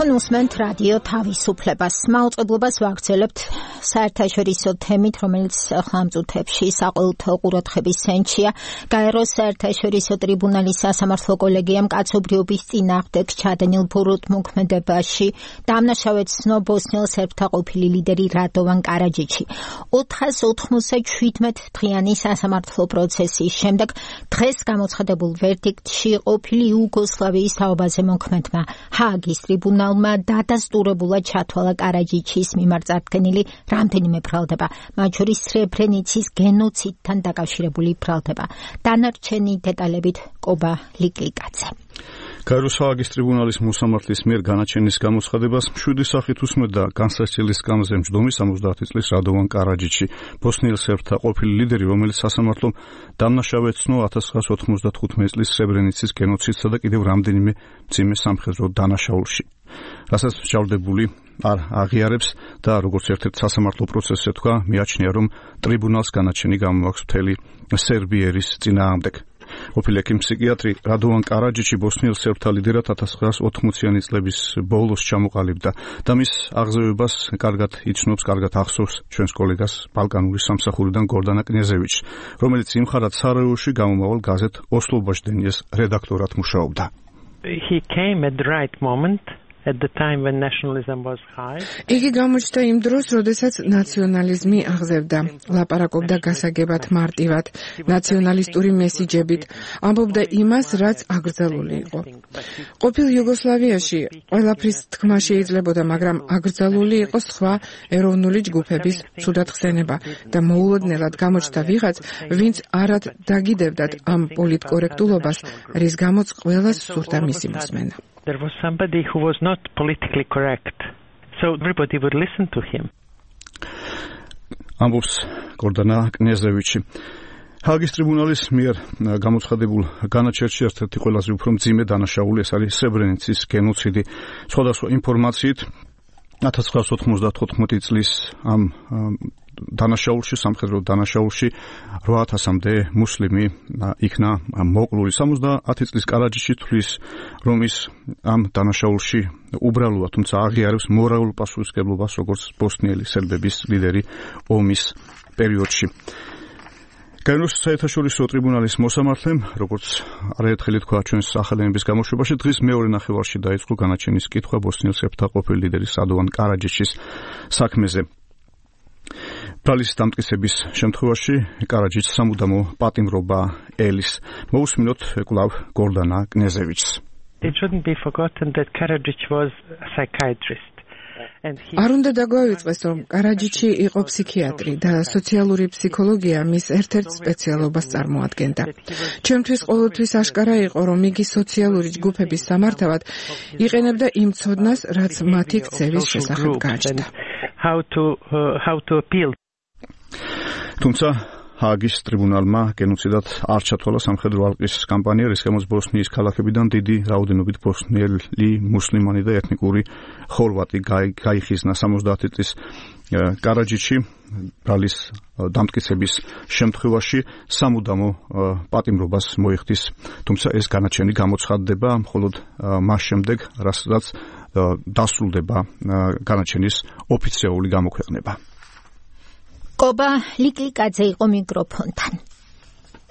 თქვენ უსმენთ რადიო თავისუფლებას. მაუწყებლობას ვაგრძელებთ საერთაშორისო თემით, რომელიც ხამ წუთებში საყოველთაო ყურადღების ცენტრია. გაეროს საერთაშორისო ტრიბუნალის სასამართლო კოლეგიამ კაცობრიობის წინააღმდეგ ჩადენილ ბურთმოქმედებაში დამნაშავედ ცნო ბოსნიელ სერბთა ყოფილი ლიდერი რადოვან კარაჯიჩი. 497 დღიანი სასამართლო პროცესის შემდეგ დღეს გამოცხადებულ ვერდიქტში ყოფილი იუგოსლავიის თაობაზე მოქმედმა ჰააგის ტრიბუნალმა დადასტურებულად ჩათვალა კარაჯიჩის მიმართ წარდგენილი რამდენიმე ბრალდება, მათ შორის სრებრენიცის გენოციდთან დაკავშირებული ბრალდება. დანარჩენი დეტალებით კობა ლიკლიკაძე. გაეროს ჰააგის ტრიბუნალის მოსამართლის მიერ განაჩენის გამოცხადებას 7 სახით უსმენდა განსაცდელის სკამზე მჯდომი 70 წლის რადოვან კარაჯიჩი, ბოსნიელ სერბთა ყოფილი ლიდერი, რომელიც სასამართლომ დამნაშავედ ცნო 1995 წლის სრებრენიცის გენოციდსა და კიდევ რამდენიმე მძიმე სამხედრო დანაშაულში. რასაც მსჯავრდებული არ აღიარებს და როგორც ერთ-ერთ სასამართლო პროცესზე თქვა, მიაჩნია, რომ ტრიბუნალს განაჩენი გამოაქვს მთელი სერბიერის წინააღმდეგ. ყოფილი ექიმ-ფსიქიატრი რადოვან კარაჯიჩი ბოსნიელ სერბთა ლიდერად 1980-იანი წლების ბოლოს ჩამოყალიბდა და მის აღზევებას კარგად იცნობს, კარგად ახსოვს ჩვენს კოლეგას ბალკანური სამსახურიდან გორდანა კნიაზევიჩს, რომელიც იმხარად სარაევოში გამომავალ გაზეთ ოსლობაჟდენიეს რედაქტორად მუშაობდა. He came at the right moment. At the time when nationalism was high. იგი გამოჩნდა იმ დროს, როდესაც ნაციონალიზმი აღზევდა, ლაპარაკობდა გასაგებად მარტივად, ნაციონალისტური მესიჯებით, ამბობდა იმას, რაც აკრძალული იყო. ყოფილ იუგოსლავიაში ყველაფრის თქმა შეიძლებოდა, მაგრამ აკრძალული იყო სხვა ეროვნული ჯგუფების ცუდად ხსენება და მოულოდნელად გამოჩნდა ვიღაც, ვინც არად დაგიდებდათ ამ პოლიტკორექტულობას, რის გამოც ყველას სურდა მისი მოსმენა. There was somebody who was not politically correct, so everybody would listen to him. ამბობს გორდანა კნიაზევიჩი. ჰააგის ტრიბუნალის მიერ გამოცხადებულ განაჩენში ერთ-ერთი ყველაზე უფრო მძიმე დანაშაული ეს არის სრებრენიცის გენოციდი. სხვადასხვა ინფორმაციით 1995 წლის ამ დანაშაულში, სამხედრო დანაშაულში 8000-მდე მუსლიმი იქნა მოკლული. 70 წლის კარაჯიჩი თვლის, რომ ის ამ დანაშაულში უბრალოა, თუმცა აღიარებს მორალურ პასუხისმგებლობას, როგორც ბოსნიელი სერბების ლიდერი ომის პერიოდში. გაეროს საერთაშორისო ტრიბუნალის მოსამართლემ, როგორც არაერთხელ თქვა ჩვენს ახალენების გამოშვებაში, დღის მეორე ნახევარში დაიწყო განაჩენის კითხვა ბოსნიელ სერბთა ყოფილი ლიდერის რადოვან კარაჯიჩის საქმეზე. ბრალის დამტკიცების შემთხვევაში კარაჯიჩს სამუდამო პატიმრობა ელის. მოусმინოთ კვლავ გორდანა კნიაზევიჩს. It shouldn't be forgotten that Karadzic was a psychiatrist. არ უნდა დაგვავიწყდეს, რომ კარაჯიჩი იყო ფსიქიატრი და სოციალური ფსიქოლოგია მის ერთ-ერთ სპეციალობას წარმოადგენდა. ჩემთვის ყოველთვის აშკარა იყო, რომ იგი სოციალური ჯგუფების სამართავად იყენებდა იმ ცოდნას, რაც მათი ქცევის შესახებ გააჩნდა. How to appeal. თუმცა ჰააგის ტრიბუნალმა გენოციდად არ ჩათვალა სამხედრო ალყის კამპანია, რის გამოც ბოსნიის ქალაქებიდან დიდი რაოდენობით ბოსნიელი მუსლიმანი და ეთნიკური ხორვატი გაიხიზნა. 70 წლის კარაჯიჩი ბრალის დამტკიცების შემთხვევაში სამუდამო პატიმრობას მოიხდის, თუმცა ეს განაჩენი გამოცხადდება მხოლოდ მას შემდეგ, რასაც დასრულდება განაჩენის ოფიციალური გამოქვეყნება. კობა ლიკლიკაძე იყო მიკროფონთან.